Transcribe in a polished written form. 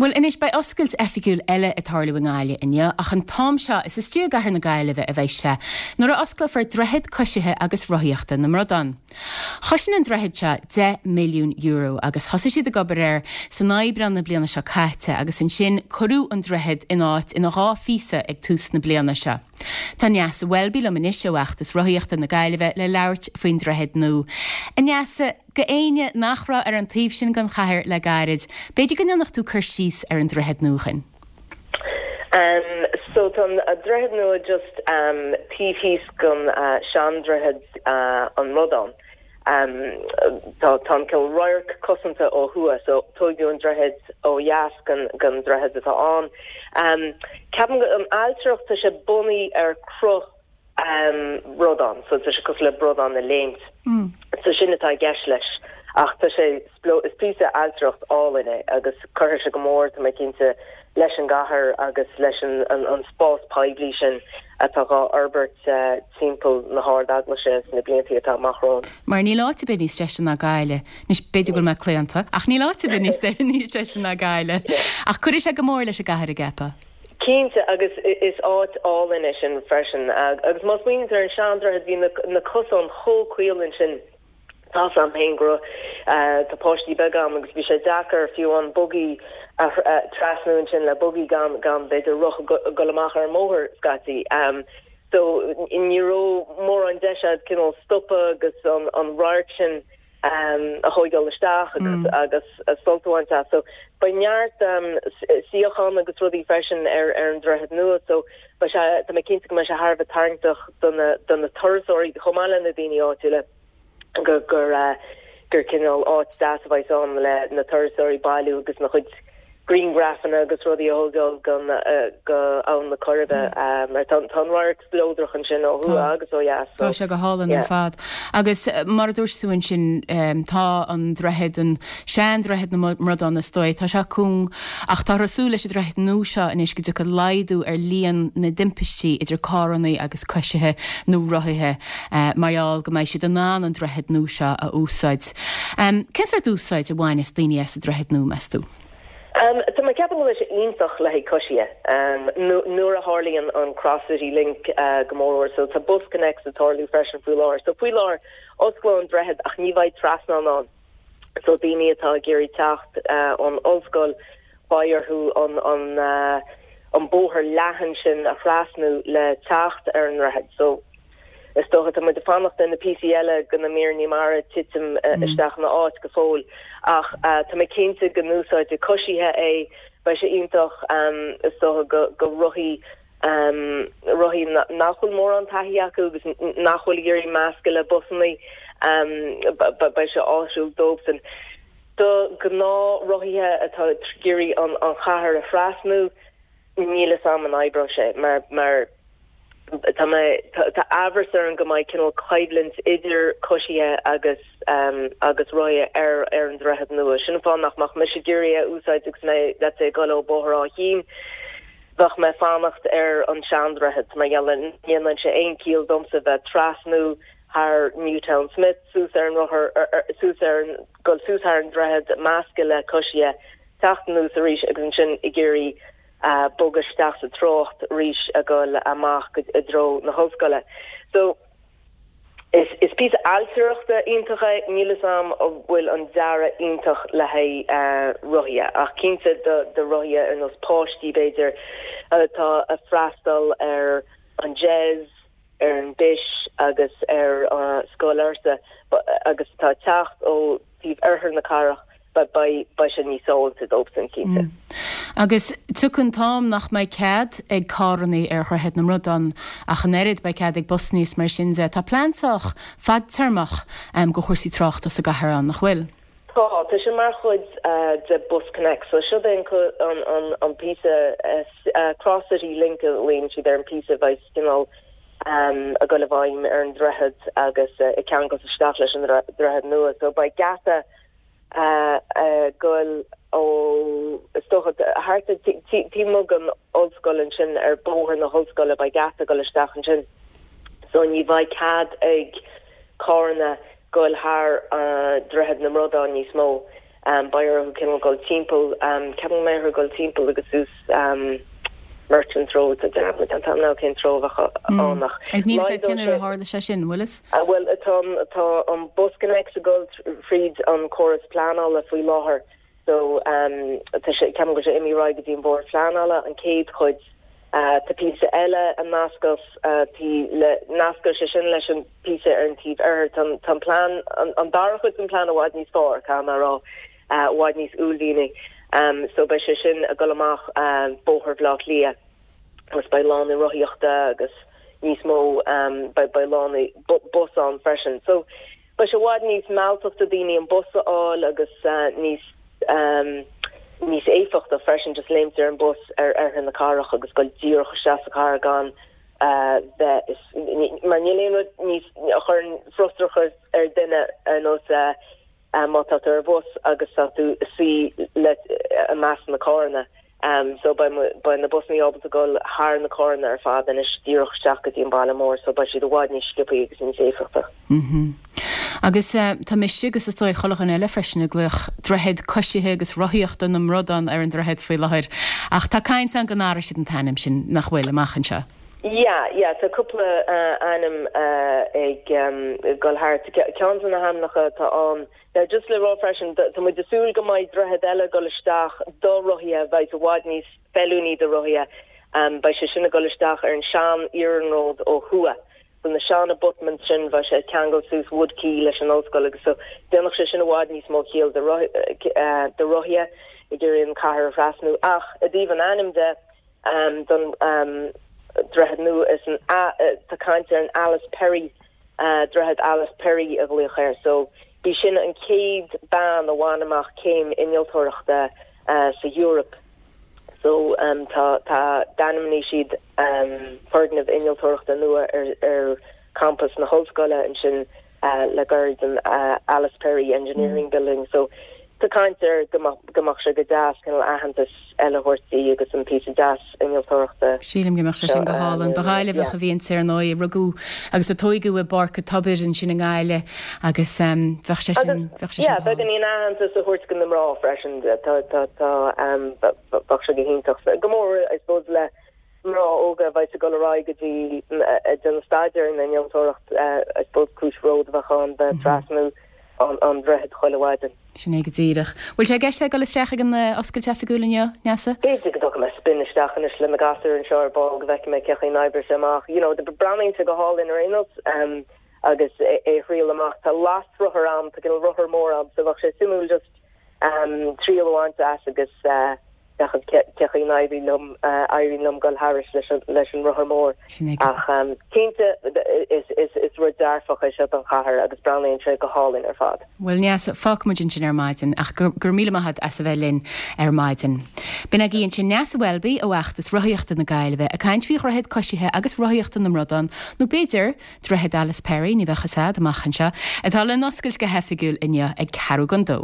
Bhuel anois, beidh oscailt oifigiúil eile ag tarlú i nGaillimh inniu, ach an t-am seo is istigh i gcathair na Gaillimhe a bheidh sé, nuair a osclófar Droichead Coisithe agus Rothaíochta na mBradán. Chosain an droichead seo €10 milliún agus thosaigh siad ag obair air san Aibreán na bliana seo caite agus ansin cuireadh an droichead in áit ina dhá phíosa ag tús na bliana seo. Tá Neasa Welby liom anois ó Fheachtas Rothaíochta na Gaillimhe le labhairt faoin droichead nua. A Neasa, go éinne nach raibh ar an taobh sin den chathair le gairid, b'fhéidir go ndéanfadh tú cur síos ar an droichead nua dhuinn. Um so tá an droichead nua just um taobh thíos den sean-droichead an mBradán. Um tá tá an cineál radharc cosanta ó thuaidh so tóigeadh an droichead ó dheas den den droichead atá ann. Um ceapaim go an ailtireacht tá sé bunaithe ar cruth bradán, so tá sé cosúil le bradán ag léimt. So sin atá i gceist leis. Ach tá sé, is píosa ailtireacht álainn é agus cuirfidh sé go mór, tá mé cinnte, leis an gcathair agus leis an spás poiblí sin atá dhá fhorbairt timpeall na hArd-Eaglaise sna blianta atá amach romhainn. Mar níl áit ar bith níos deise ná Gaillimh. Anois, b'fhéidir go bhfuil mé claonta, ach níl áit ar bith níos deise ná Gaillimh. Ach cuirfidh sé go mór leis an gcathair, an gceapfá? Cinnte, agus is áit álainn é sin freisin. Agus má smaoiníonn tú ar an sean-droichead, bhí na cosáin chomh caol ansin. Tá's a'm féin go raibh, tá páistí beaga a'm agus bhí sé deacair fiú an bugaí a trasnú ansin le bugaí gan, gan b'fhéidir roth ag dul amach ar an mbóthar scaití. So ní raibh mórán deis a'd cineál stopadh agus an radharc sin a thóigeáil isteach agus agus sult a bhaint as. So beidh neart suíochán agus rudaí freisin ar ar an droichead nua so beidh sé, tá mé cinnte go mbeidh sé thar a bheith tarraingteach do na do na turasóirí chomh maith le na daoine áitiúla gur gur gur cineál áit deas a bheidh ann le na turasóirí bailiú agus na chuid grianghrafanna agus rudaí a thógáil go go Abhainn na Coiribe mar tá tá an radharc spleodrach ansin ó thuaidh agus ó dheas so Tá sé go hálainn ar fad. Agus mar a dúirt tú ansin tá an droichead, an sean-droichead na mBradán is dóigh, tá sé cúng ach táthar ag súil leis an droichead nua seo anois go dtiocfaidh laghdú ar líon na dtimpistí idir carrannaí agus coisithe nó rothaithe mar gheall go mbeidh siad in ann an droichead nua seo a úsáid. Cén sórt úsáid a bhainfeas daoine as an droichead nua, meas tú? Tá mé ag ceapadh go bhfuil sé iontach le haghaidh coisithe. Nuair a tharlaíonn an Cross City Link go mórmhór, so tá BusConnects ag tarlú freisin faoi láthair. So faoi láthair, osclóidh an droichead ach ní bheidh trasnán ann. So daoine atá ag iarraidh teacht ón ollscoil, beidh orthu an an an bóthar leathan sin a thrasnú le teacht ar an ndroichead. So Is dócha, tá muid ag fanacht ar na píosaí eile de na míreanna mara titim isteach ina áit go fóill ach tá mé cinnte go n-úsáidfidh coisithe é. Beidh sé iontach, is dócha, go rothaí, rothaí nach bhfuil mórán taithí acu agus nach bhfuil ag iarraidh meascadh le busannaí, beidh sé áisiúil dóibhsan. Do ghnáth-rothaithe atá ag iarraidh an chathair a thrasnú, níl 'fhios a'm an oibreoidh sé mar, mar tá mé, tá amhras orm go mbeidh cineál coimhlint idir coisithe agus agus rothaithe ar ar an droichead nua. Sin an fáth nach mbeadh mise ag iarraidh é a úsáid agus mé, let's say, ag dul ó Bóthar Áth Chinn, bheadh mé ag fanacht ar an seandroichead mar gheall ní dhéanann sé aon ciall domsa bheith trasnú thar Newtownsmith suas ar an rothar, suas ar an, dul suas thar an droichead, meascadh le coisithe, teacht anuas arís agus ansin ag iarraidh bogadh isteach sa trácht arís ag dul amach i dtreo na hollscoile. So is is píosa ailtireachta iontach é, níl 'fhios a'm an bhfuil an dearadh iontach le haghaidh rothaithe ach cinnte do do rothaithe ar nós páistí b'fhéidir atá ag freastal ar an JES, ar an BIS agus ar Scoil Fhursa agus atá ag teacht ó taobh oirthear na cathrach, beidh sé níos sábháilte dóibhsan, cinnte. Agus tiocfaidh an t-am nach mbeidh cead ag carrannaí ar Dhroichead na mBradán ach an oiread, beidh cead ag busannaí is mar sin de. Tá plean sách fadtéarmach go chúrsaí tráchta sa gcathair ann, nach bhfuil? Tá, tá sé mar chuid de BusConnects. So siod é an an píosa Cross City Link a ghlaonn siad ar an píosa a bheidh cineál ag dul i bhfeidhm ar an droichead agus ag ceangal isteach leis an droichead nua. So beidh geata ag dul ó is dócha thart taobh amuigh den ollscoil ansin ar bóthar na hollscoile beidh geata ag dul isteach ansin. So ní bheidh cead ag carranna dul thar Droichead na mBradán níos mó. Beidh orthu cineál dul timpeall, ceapaim go mbeidh orthu dul timpeall agus suas Merchants Road, tá dearmad déanta agam now cén treo a bheadh ann ach Agus níl 'fhios a'd cén uair a tharla sé sin, bhfuil 'fhios? Bhuel, tá tá an BusConnects ag dul fríd an córas pleanála faoi láthair so tá sé, ceapaim go bhfuil sé imithe ar aghaidh go dtí an Bord Pleanála, an chéad chuid. Tá píosa eile a nascfas le, nascfaidh sé sin leis an píosa ar an taobh oirthir. Tá an, tá an plean, an dara chuid den plean i bhfad níos fearr, caithfidh mé a rá, i bhfad níos uaillmhianaí. So beidh sé sin ag dul amach Bóthar Bhaile Átha Cliath agus beidh lánaí rothaíochta agus níos mó, beidh, beidh lánaí bus ann freisin. So Beidh sé i bhfad níos mealltach do daoine an bus a fháil agus níos níos éifeachta freisin just léimt ar an bus ar oirthear na cathrach agus dul díreach isteach sa chathair gan bheith mar níl aon rud níos a chuireann frustrachas ar duine ar nós má tá tú ar bhus agus tá tú ag suí le i measc na carranna. So beidh beidh na busanna ábalta dul thar na carranna ar fad anois díreach isteach go dtí an baile mór so beidh siad i bhfad níos sciobthaí agus níos éifeachta. Mm-hmm. Agus tá mise agus is dóigh chuile dhuine eile freisin ag glaoch droichead coisithe agus rothaíochta na mBradán ar an droichead faoi láthair. Ach tá caint ann go n-athróidh siad an t-ainm sin, nach bhfuil, amach anseo? Yeah, yeah, tá cúpla ainm ag dul thart. Ceann de na hainmneacha atá ann, Now just le rá freisin, tá muid ag súil go mbeidh droichead eile ag dul isteach do rothaithe a bheidh i bhfad níos feiliúnaí do rothaithe. Beidh sé sin ag dul isteach ar an sean iarnród ó thuaidh. So na sean abutments sin, bheadh sé ag ceangal suas Wood Quay leis an ollscoil agus so déanfadh sé sin i bhfad níos mó ciall do do rothaithe ag iarraidh an cathair a thrasnú. Ach i dtaobh an ainm de, don droichead nua is an tá caint ar an Alice Perry Droichead Alice Perry a ghlaoch air. So b'í sin an chéad bean a bhain amach céim innealtóireachta sa Eoraip. So tá tá d'ainmnigh siad foirgneamh innealtóireachta nua ar ar campas na hollscoile ansin le gairid, an Alice Perry Engineering Building. So tá caint ar go mbeadh go mbeadh sé go deas cineál aitheantas eile a thabhairt di agus an píosa deas innealtóireachta Sílim go mbeadh sé sin go hálainn. Ba Ghaillimheach a bhí inti ar ndóigh, a rugadh agus a tóigeadh i bPáirc an Tobair ansin i nGaillimh agus bheadh sé sin, bheadh sé sin go hálainn. Beagáinín aitheantas a thabhairt do na mná freisin, tá, tá, tá, bheadh sé go hiontach. Go mór, I suppose, le mná óga a bheidh ag dul ar aghaidh go dtí ag déanamh staidéar ar an innealtóireacht, I suppose cúis bhróid a bheadh ann bheith ag trasnú an droichead chuile mhaidin. Sin é go díreach. Bhfuil sé i gceist ag dul isteach ag an oscailt oifigiúil inniu, Neasa? B'fhéidir go dtógfaidh mé spin isteach anois le na gasúir anseo ar ball go bhfeicfidh mé cé chaoi n-oibreoidh sé amach. You know, breathnaíonn sé go hálainn ar aon nós agus é a thriail amach. Tá lasrothar ann, tá cineál rothar mór ann so bheadh sé suimiúil just triail a bhaint as agus féachaint cé chaoi n-éiríonn liom, éiríonn liom dul thairis leis an rothar mór. Ach cinnte, is rud dearfach é seo don chathair agus breathnaíonn sé go hálainn ar fad. Bhuel, Neasa, fágfaidh muid ansin ar maidin ach go raibh míle maith agat as a bheith linn ar maidin. B'in agaibh ansin Neasa Welby ó fheachtas Rothaíochta na Gaillimhe ag caint faoi dhroichead coisithe agus rothaíochta na mBradán, nó b'fhéidir Droichead Alice Perry, ní bheadh fhios a'd, amach anseo, atá le n-oscailt go hoifigiúil inniu ag ceathrú don dó.